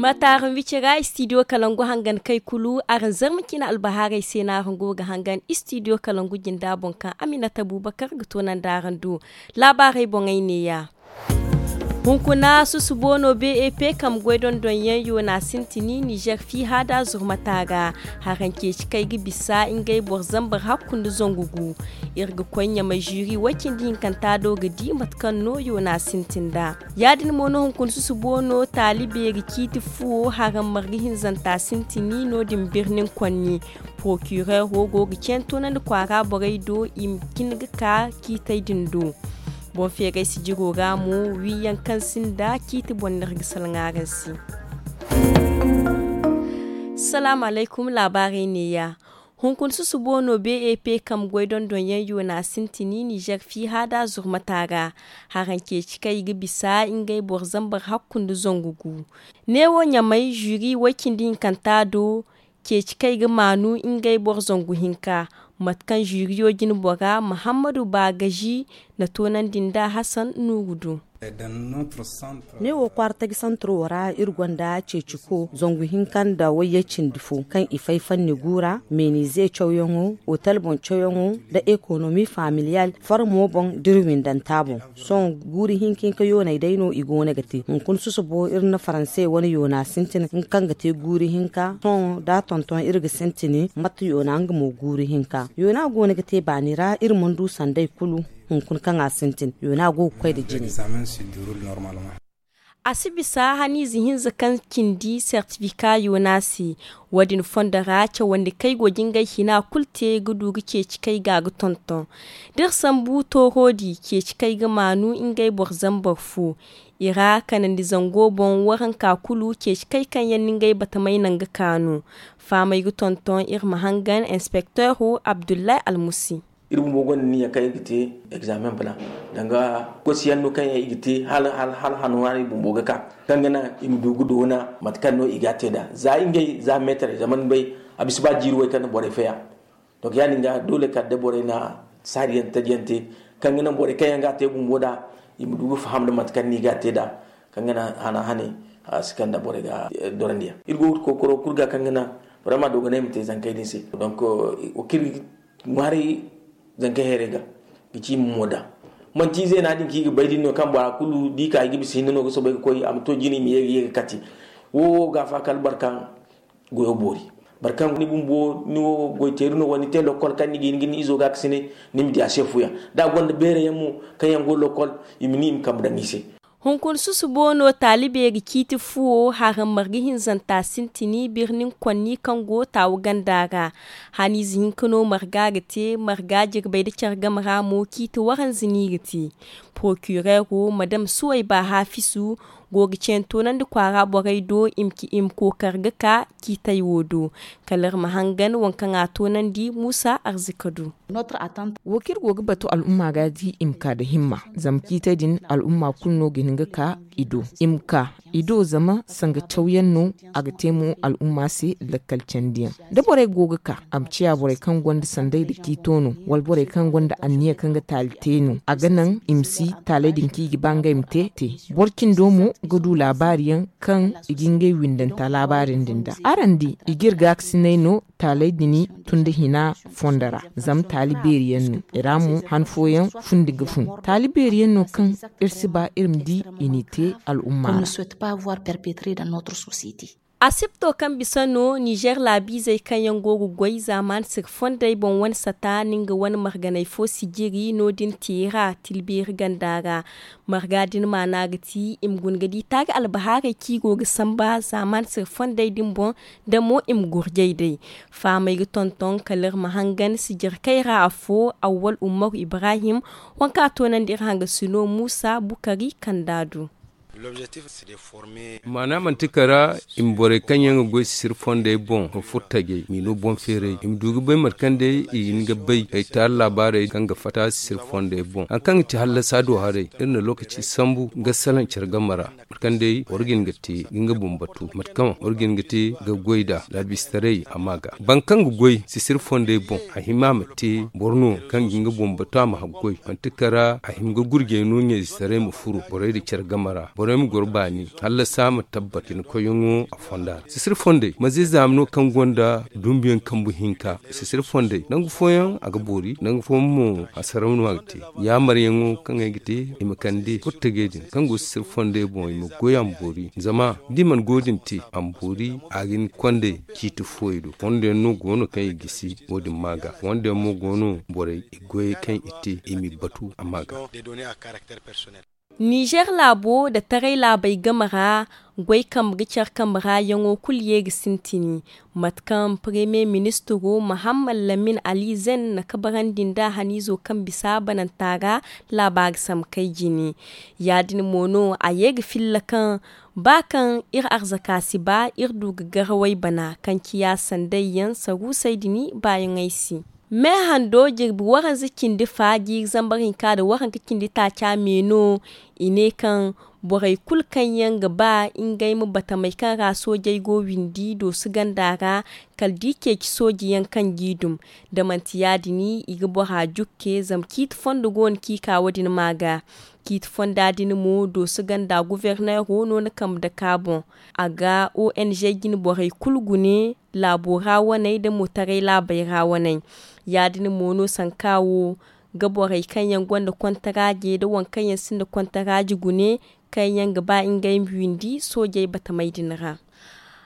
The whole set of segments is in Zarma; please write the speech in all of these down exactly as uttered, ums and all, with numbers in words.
Mate araŋ wicira istidiyo kalangu hangan kay kulu araŋ zarma cine albahaarey se no araŋ go ga hangan istidiyo kalangu jinda boŋ kaŋ aminata bubakar ga toonandi araŋ do. Laabaarey boŋey neeya. Hunkuna susubo no bep kambe goy dondonyaŋ yoona sintini nizer fiiha da zurmata ra. Haraŋ ceeci kaŋ ay ga bisa ngey boro zambar hakku nda zangu gu. Iri ga koy ɲamay ziri way cindi hinkanta do ga di mate kaŋ no yoona sintin nd'a. Ya- din mo no hunkuna susubo no taali beeri ciiti fuwo haraŋ marga hinzanta sintini no- din birnin konni. Porokireero go ga ceen toonandi kwaara borey do i ma cin ga ka ciitey din do. Boŋ feeray sijiro ra mo wiiyaŋ kaŋ sinda ciiti boŋ no iri ga salaŋ araŋ se. Salaamu alaykum laabaarey neeya. Hunkuna susubo no bep kambe goy dondonyaŋ yoona sintini nizer fiiha da zurmata ra. Haraŋ ceeci kaŋ i ga bisa ngey boro zambar hakku nda zangu gu. Neewo ɲamay ziri way cindi hinkanta do ceeci kaŋ i ga maanu ngey boro zangu hinka. Mate kaŋ ziriyo jine bora muhammadu baagazi na toonandi nda hasan nuuru do. Neewo kwaara taji santiro ra iri gonda ceeciko zangu hinka nda wayye cindi fo kaŋ i fay fanni guura meenize cawyaŋo, otel boŋ cawyaŋo, nda ekonomi familiyal, farmo boŋ da iri windanta boŋ. Sohõ guuri hinka hinka yooney day no i go no ga te hunkuna susubo iri na faranse wane yoona sintin nga kaŋ ga te guuri hinka sohõ da a tonton iri ga sintin. Mate yoona nga mo guuri hinka yoona go no ga te baani ra iri mana du sanday kulu. Hunkuna kaŋ a sintin yoona go ga koy nda jine. A si bisa haniize hinza kaŋ cindi sertifika yoona se. Wo- din fondo ra cawandi kaŋ ay go ga ngey hina kulu te ga du ga ceeci kaŋ ay ga ga tonton. Da iri sambu tooro di ceeci kaŋ ay ga maanu ngey boro zambar fo. I ra kanandi zango boŋ waranka kulu ceeci kaŋ ay kaŋ yaŋ no ngey batamey naŋ ga kaanu. Fahamey ga tonton iri ma hangan inspekteero abdullahi almusi. Iri bumbo gonda niya kaŋ iri ga te egzaamen bana danga koosiyaŋ no kaŋ yaŋ i ga te hala hano ra iri bumbo ga ka kaŋ ga naŋ i ma du ga doona mate kaŋ no i ga a te nd'a za ngey za meetarey zama ni bay a bisa ba jiiri way kaŋ na borey faya. Donk ya- din ga doole kala day borey na saari yaŋ taji yaŋ te kaŋ ga naŋ borey kaŋ yaŋ ga a te bumbo nd'a i ma du ga faham nda mate kaŋ no i ga a te nd'a. Kaŋ ga naŋ hana hane a si kande borey ga dorandi yaŋ iri go ga kookaro kulu ga kaŋ ga naŋ borey ma a dooganay ma te zankey din se. Donk wa kaŋ iri ŋwaaray zanka heerey ga ga ci i ma mo nd'a. Manti ize no ya- din kaŋ i ga bay din no kaŋ bora kulu da i ka i ga bisa hinne no ga soobay ga koy a ma to jine i ma ye ga ye ga kati. Wo wo ga afa kala boro kaŋ goyo boori boro kaŋ ni bumbo ni wo goyteeri no wala ni te lokkol kaŋ ni ga hin ga ni izo ga a ga si ne. Ni ma di a se fu yaŋ da a gonda beere yaŋ mo kaŋ yaŋ go lokkol i ma ni i ma kambe daŋ i se. Hunkuna susubo no taali beeri ciiti fuwo haraŋ marga hinzanta sintini birnin konni kaŋ go taawu ganda ra. Haniize hinka no marga ga te marga jirbey nda care game ra mo ciiti waranza no i ga te. Porokireero madam suwayba haafisu go ga ceene toonandi kwaara borey do i ma kookari ga ka ciitey wo do. Kala iri ma hangan waŋ kaŋ a toonandi muusa arzika do. Wo kaŋ iri go ga batu al'umma ga di i ma ka nda himma zama ciitey din al'umma kulu no ga hin ga ka i do i ma ka i do zama sanga cawyaŋ no. A ga te mo al'umma se lakkal candiyaŋ da borey go ga ka a ma ciya borey kaŋ gonda sanday nda ciito no wala borey kaŋ gonda anniya kaŋ ga taali te no a ga naŋ i ma si taaley din kaŋ i ga ba ngey ma te te. Boro cindo mo ga du laabaari yaŋ kaŋ i ga ngey windanta laabaari din da araŋ di i ga iri gaakasinay no taaley din tun nda hina fondo ra. Zama taali beeri yaŋ no i ra mo han fooyaŋ fundi ga fun taali beeri yaŋ no kaŋ iri si ba iri ma di i n'i te al'umma ra. Asipto kaŋ bisa no nizer laabiizey kaŋ yaŋ go ga goy zaamaani sirfondey boŋ wane sata no nga wane marganey fo sijiri no- din teera tilbeeri ganda ra. Marga din maana ga ti i ma guna ga di taari albahaarey kaŋ i go ga samba zaamaani sirfondey din boŋ da mo i ma gurjay day. Fahamey ga tonton kala iri ma hangan sijirkey ra afo awwal umaru ibrahim. Waŋ kaŋ a toonandi iri hangasino muusa bukari kanda do. Maana manti kara i ma borey kaŋ yaŋ ga goy sisiri fondey boŋ ma furo tajey m'i no boŋ feeray i ma du ga bay mate kaŋ day i ga hin ga bay ay taari laabaarey kaŋ ga fatta sisiri fondey boŋ hari kaŋ ga ti hallasa do haray iri na lookaci sambu ga salaŋ care game ra. Mate kaŋ day boro ga hin ga te ga nga boŋ batu mate kaŋ boro ga hin ga te ga goy nd'a laabistaray a ma ga boro kaŋ ga goy sisiri fondey boŋ a hima a ma te boro no kaŋ ga hin ga boŋ batu a ma haggoy manti kara a hima ga gurjey no ɲayzetaray ma furo borey nda care game ra. Ay ma goro baani hallasa ma tabbat hinkoyyaŋo a fonda ra sisiri fondey ma ze zaama no kaŋ gonda dumbuyaŋ kambu hinka. Sisiri fondey nangu fooyaŋ a ga boori nangu fooyaŋ mo a saraw no a ga te. Yaamaryaŋo kaŋ ay ga te i ma kande furtagey din kaŋ go sisiri fondey boŋ i ma goy a ma boori zama da i mana go din te a ma boori. A ga hin kondey ciiti fooyey do fondo yaŋ no go no kaŋ i gisi wo- din ma ga fondo yaŋ mo go no borey i goyey kaŋ i te i m'i batu a ma ga. Nizer laabo nda taray laabey game ra goy kambe ga care kambe ra yaŋo kulu ye ga sintin. Mate kaŋ paremiye ministiro mahammad lamin ali zen na kabarandi nd'a haniizo kaŋ bisa bananta ra laaba ga sambu kay jine. Ya- din mo no a ye ga filla kaŋ ba kaŋ iri arzaka si ba iri du ga garawey bana kaŋ ciya sanday yaŋ saruusey din baayaŋey se. Me hando jirbi waranza cindi fa jiiri zambar hinka nda waranka cindi taaca me no. I ne kaŋ borey kulu kaŋ yaŋ ga ba ngey ma batamey kaŋ ra soojey go windi dooso ganda ra kala da i ceeci sooji yaŋ kaŋ g'i dum. Da manti ya- din i ga bora jukke zama ciiti fondo go no kaŋ i ka wo- din ma ga. Ciiti fonda din mo dooso ganda guverneero no na kambe dake a boŋ. A ga ong jine borey kulu gune laabo ra waney nda mo taray laabey ra waney. Ya- din mo no sanka wo ga borey kaŋ yaŋ gonda kontaraaje nda waŋ kaŋ yaŋ sinda kontaraaje gune kaŋ yaŋ ga ba ngey ma windi soojey batamey din ra.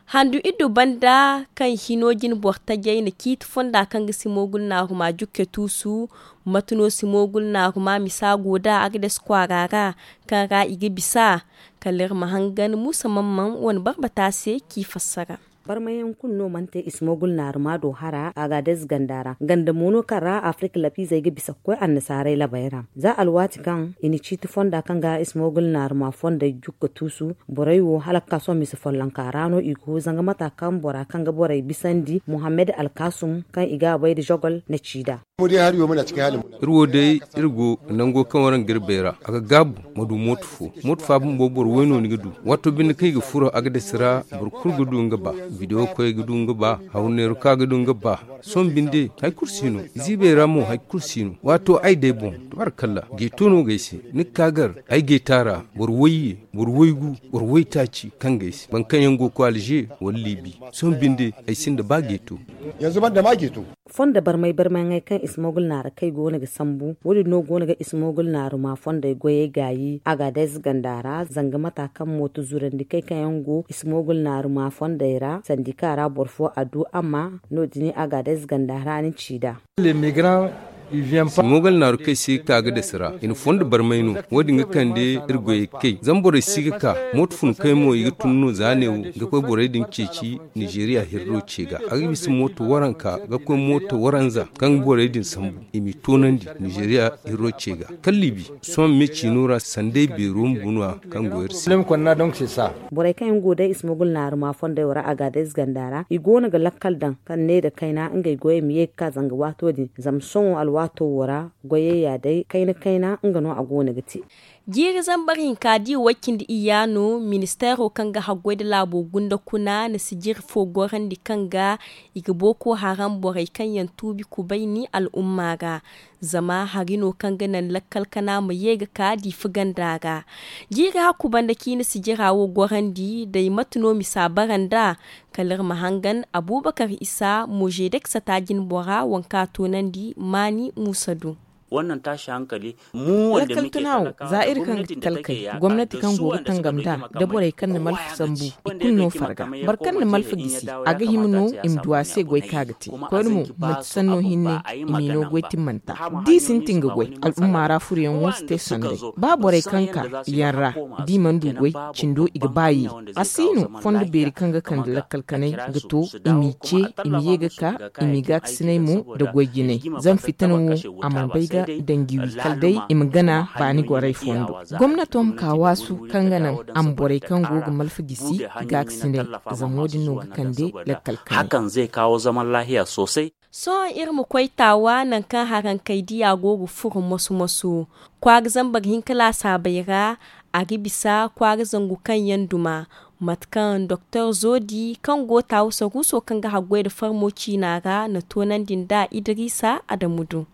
Handu iddu banda kaŋ hino jine boro tajey na ciiti fonda kaŋ ga simoogul naaruma jukke tuusu. Mate no simoogul naaruma misa go nd'a agades kwaara ra kaŋ ra i ga bisa. Kala iri ma hangan muusa mamman wane barbata se k'i fassara. Barmayaŋ kulu no mana te ismogul naaruma do hara agadez ganda ra ganda mo no kaŋ ra afirka lapiizey ga bisa ga koy annasaarey labey ra. Za alwaati kaŋ i na ciiti fonda kaŋ ga ismogul naaruma fondey jukka tuusu borey wo hala ga ka sohõ mise follonka ra no i go zanga mata kaŋ bora kaŋ ga borey bisandi muhammad alkasum kaŋ i ga a bay nda zogol na ci nd'a. Iri wo day iri go nango kaŋ waraŋ ga iri bay ra a ga gaabu. Ma du mooto fo mooto fo a bumbo boro way no ni ga du. Waato binde kaŋ i ga furo a ga dasi ra boro kulu ga du nga ba. Bidewo koy ga du nga ba. Hawru neeru ka ga du nga ba. Sohõ binde hari kulu si no. Ziibey ra mo hari kulu si no. Waato ay day boŋ tabarakalla geeto no ga ay se. Ni ga ka gar ay geeta ra. Boro wayye boro waygu boro waytaaci kaŋ ga ay se boro kaŋ yaŋ go ga koy alze wala liibi. Sohõ binde ay sinda ba geeto. Yanzu banda ma geeto. Fondo barmay barmayŋey kaŋ ismogul naara kay goono ga sambu wo- din no goono ga ismogul naaruma fondey goyey gaayi agadez ganda ra zanga mata kaŋ mooto zurandi kay kaŋ yaŋ go ismogul naaruma fondey ra sandika ra boro fo a du amma no- din agadez ganda ra ni ci nd'a. Simogal naaru kay si ga ka ga dasi ra i na fondo barmay no. Wo- din ga kande iri goyey kay zama borey si ga ka. Mooto fun kay mo i ga tun no za ne wo ga koy borey din ceeci. Nizeeriya hirro ce ga a ga bisa mooto waranka ga koy mooto waranza kaŋ ga borey din sambu i m'i toonandi nizeeriya hirro ce ga. Kala liibi sohõ me ciino ra sanday beero ma bu no- ya kaŋ go iri se. Borey kaŋ yaŋ go day ismogul naaruma fondey wo ra agadez ganda ra i goono ga lakkal daŋ kaŋ ne nda kayna ngey goyey ma ye ga ka zanga waato din zama sohõ alwaato wo ra goyey ya day kayna kayna nga no a goono ga te. Jiiri zambar hinka di way cindi iyya no ministeero kaŋ ga haggoy nda laabo gunda kuna na sijiri fo gorandi kaŋ ga i ga booko haram borey kaŋ yaŋ tuubi kubay ni al'umma ra. Zama hari no kaŋ ga naŋ lakkal kana ma ye ga ka diifa ganda ra. Jiiri hakku banda ciine sijira wo gorandi day mate no misa bara nd'a. Kala iri ma hangan abubakar isa mojedek sata jinbora waŋ kaŋ a toonandi maani muusa do. Lakkal tuna wo za iri kaŋ ga ti talkey gomnati kaŋ go ga tangam nd'a nda borey kaŋ na malfa sambu i kulu no farga. Boro kaŋ na malfa gisi a ga hima no i ma du a se goy kaŋ a ga te koyne mo manti sanno hinne i m'i no goy timmanta. Da i sintin ga goy al'umma ra furoyaŋo si te sanday. Ba borey kaŋ ka yaŋ ra da i mana du goy cindo i ga ba ye. A si no fondo beeri kaŋ ga kande lakkal kanay ga to i m'i ce i ma ye ga ka i m'i gaakasinay mo nda goy jinay. Zama fitina wo a mana bay ga danji wi kala day i ma gana baani gorey fondo. Gomnato ma ka waasu kaŋ ga naŋ a ma borey kaŋ go ga malfa gisi gaakasinay. Zama wo- din no ga kande lakkal kanay. Sohõ iri ma koy taawa nangu kaŋ harankey diya go ga furo moso-moso kwaara zambar hinka laasaabey ra. A ga bisa kwaara zangu kaŋ yaŋ duma mate kaŋ doktor zodi kaŋ go taawa saruuso kaŋ ga haggoy nda farmo ciina ra na toonandi nd'a idiriisa adamu do.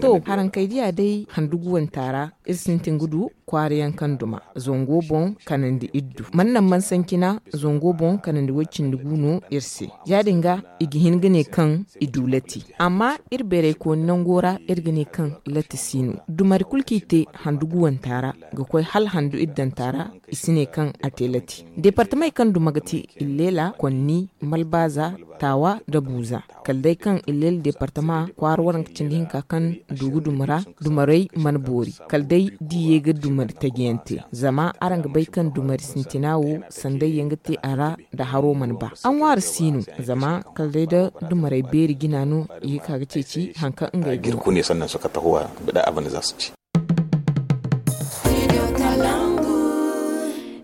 To harankey diya day handuguwanta ra iri sintin ga du. kwaara yaŋ kaŋ duma zango boŋ kanandi iddu man naŋ man sancina zango boŋ kanandi way-cindi gu no iri se. Ya- din ga i ga hin ga ne kaŋ i du lati, amma iri beeraykooni nango ra iri ga ne kaŋ lati si no. Dumari kulu kaŋ i te handu guwanta ra ga koy hala handu iddanta ra, i si ne kaŋ a te lati. Deepartamey kaŋ duma ga ti, illeela, konni, malbaaza, taawa nda buuza. Kala day kaŋ illeela deepartama kwaara waranka cindi hinka kaŋ du ga duma ra, dumarey mana boori. Kala day da i ye ga dumari taji yaŋ te, zama araŋ ga bay kaŋ dumari sintina wo sanday yaŋ ga te a ra, nda haro mana ba a ŋwaari si no. Zama kala day da dumarey beeri jina no i ga ka ga ceeci hari kaŋ ngey ga hin. Kune sannan suka tahowa bida abin da za su ci.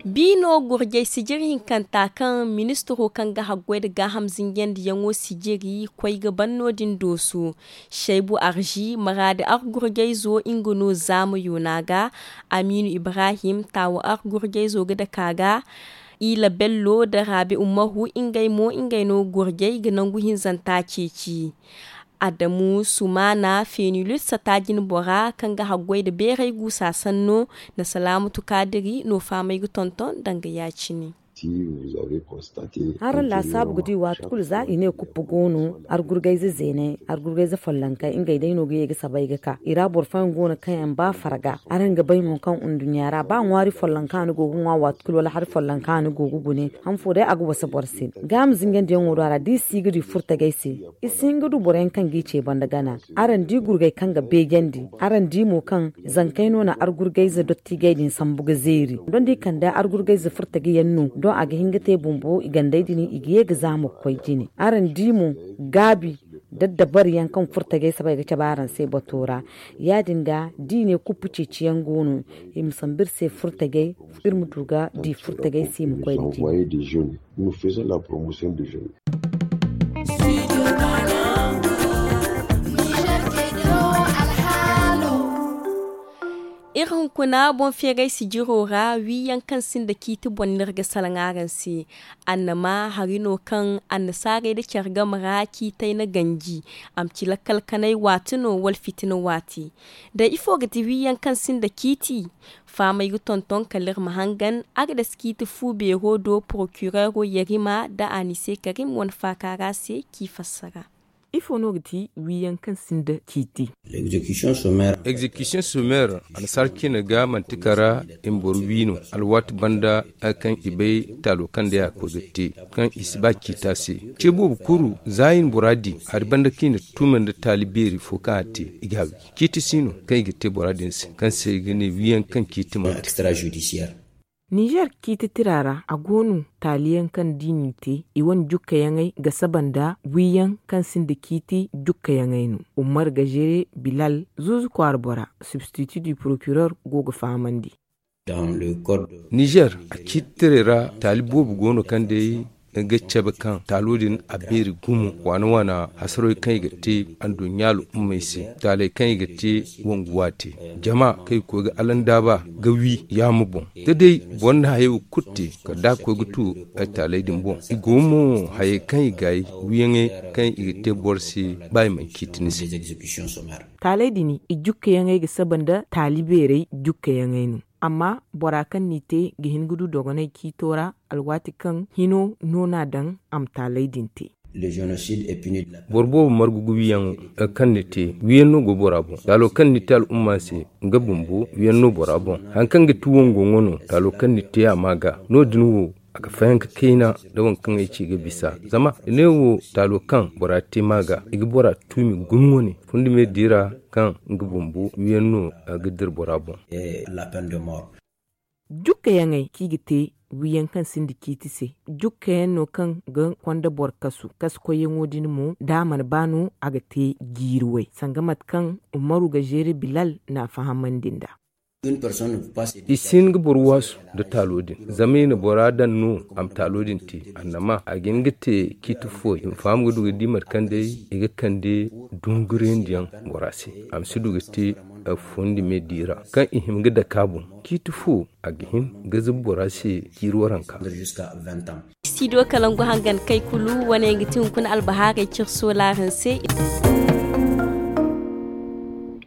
Biino gurjay sijiri hinkanta kaŋ ministiro kaŋ ga haggoy nda gaaham zinjandiyaŋo sijiri koy ga ban no- din dooso. Shaybu arzi maraadi argurjayzo nga no zaama yoona ga. Amiinu ibrahim taawo argurjayzo ga dake a ga. Ila bello nda raabi ummahu ngey mo ngey no gurjay ga nangu hinzanta ceeci. Adamu sumaana fenilut sata jinbora kaŋ ga haggoy nda beeray guusa sanno nda salaamatu kaadiri no faamay ga tonton danga ya- cine. Araŋ laasaabu ga di waati kulu za i ne kuppu go no argurgayze zeeney argurgayze follonkey ngey day no ga ye ga sabay ga ka i ra boro fooyaŋ go no kaŋ yaŋ ba farga. Araŋ ga bay mo kaŋ nduɲɲa ra ba ŋwaari follonka ni go ga ŋwa waati kulu wala hari follonka ni go ga gune han fo day a ga wasa boro se. Gaama zinjandiyaŋo do a ra da i si ga du i furtagay se. I si hin ga du boroyaŋ kaŋ g'i ce banda gana. Araŋ di gurgay kaŋ ga beejandi. Araŋ di mo kaŋ zankey no na argurgayze dottijey din sambu ga zeeri doŋ da i kande argurgayze furtagiyaŋ no doŋ a ga hin ga te bumbo i gandey din i ga ye ga zaama ga koy jine. Araŋ di mo gaabi daddabariyaŋ kaŋ furtagay sabay ga cabe araŋ se bato ra. Ya- din ga da i ne kuppu ceeciyaŋ go no. I ma sambu iri se furtagay iri ma du ga di furtagay se i ma koy da jine. Iri hunkuna boŋ feeray sijiro ra wiiyaŋ kaŋ sinda ciiti boŋ no iri ga salaŋ araŋ se. Annama hari no kaŋ annasaarey nda care game ra ciitey na ganji. A ma ci lakkal kanay waati no wala fitina waati. Da ifo ga ti wiiyaŋ kaŋ sinda ciiti? Faamay ga tonton kala iri ma hangan a ga dasa ciiti fu beero do porokireero yarima nda anise karim wane faaka ra se k'i fassara. Ifo no ga ti wiiyaŋ kaŋ sinda ciiti? Egzekisiyoŋ someer annasaara ciine ga manti kara i ma boro wi no. Alwaati banda hari kaŋ i bay taalo kaŋ day a ga koy ga te kaŋ i si ba ciita se. Ce boobo kuru za i na bora di hari banda kaŋ i na tuma nda taali beeri fo kaŋ a te i ga a wi. Ciiti si no kaŋ i ga te bora din se kaŋ se i ga ne wiiyaŋ kaŋ ciiti manti. Nizer ciiti tira ra a go no taaliyaŋ kaŋ da i n'i te i wane jukkayaŋey ga saba nda wiiyaŋ kaŋ sinda ciiti jukkayaŋey no. Ummar gazere bilal zuuzu kwaara bora substiti du porokirer go ga fahamandi. Nizer a ciiti tirey ra taali boobo go no kaŋ day ga cabe kaŋ taalo din a beeri gumo waana waana hasarey kaŋ i ga te anduɲɲa al'ummey se taaley kaŋ i ga te wangu waate jama kaŋ i ga koy ga alandaaba ga wi yaama boŋ da day boro na hayey wo kulu te kala da a koy ga tu ay taaley din boŋ i go mo hayey kaŋ i gaay wiyaŋey kaŋ i ga te boro se ba i mana ciiti ni se. Taaley din i jukkayaŋey ga saba nda taali beerey jukkayaŋey no. Amma bora kaŋ n'i te ga hin ga du dogonay ciito ra alwaati kaŋ hino no n'a daŋ a ma taaley din te. Boro boobo margu ga wiyaŋo kaŋ ni te wiyaŋ no go bora boŋ taalo kaŋ ni te al'umma se nga bumbo wiyaŋ no bora boŋ. Hari kaŋ ga ti wango ŋwa no taalo kaŋ ni te a ma ga no- din wo a ga fayanka kayna nda waŋ kaŋ ay ci ga bisa zama i ne wo taalo kaŋ bora te ma ga i ga bora tuumi gumo wane fundi me diira kaŋ nga bumbo wiyaŋ no ga dira bora boŋ. Jukkayaŋey kaŋ i ga te wiyaŋ kaŋ sinda ciiti se jukkayaŋ no kaŋ ga konda boro kasu kasu koyyaŋo din mo da a mana ba no a ga te jiiri way sanga mate kaŋ umaru ga zeere bilal n'a fahamandi nd'a. I si hin ga boro waasu nda taalo din zama i na bora daŋ no a ma taalo din te annama a ga hin ga te ciiti fo i ma faham ga du ga di mate kaŋ day i ga kande dunguriyandiyaŋ bora se a ma si du ga te fondi me diira kaŋ i hima ga dake a boŋ ciiti fo a ga hin ga zuba bora se ciiri waranka. Studio kalangu hangan kay kulu wane ga ti hunkuna albahaarey cire soolaaraŋ se.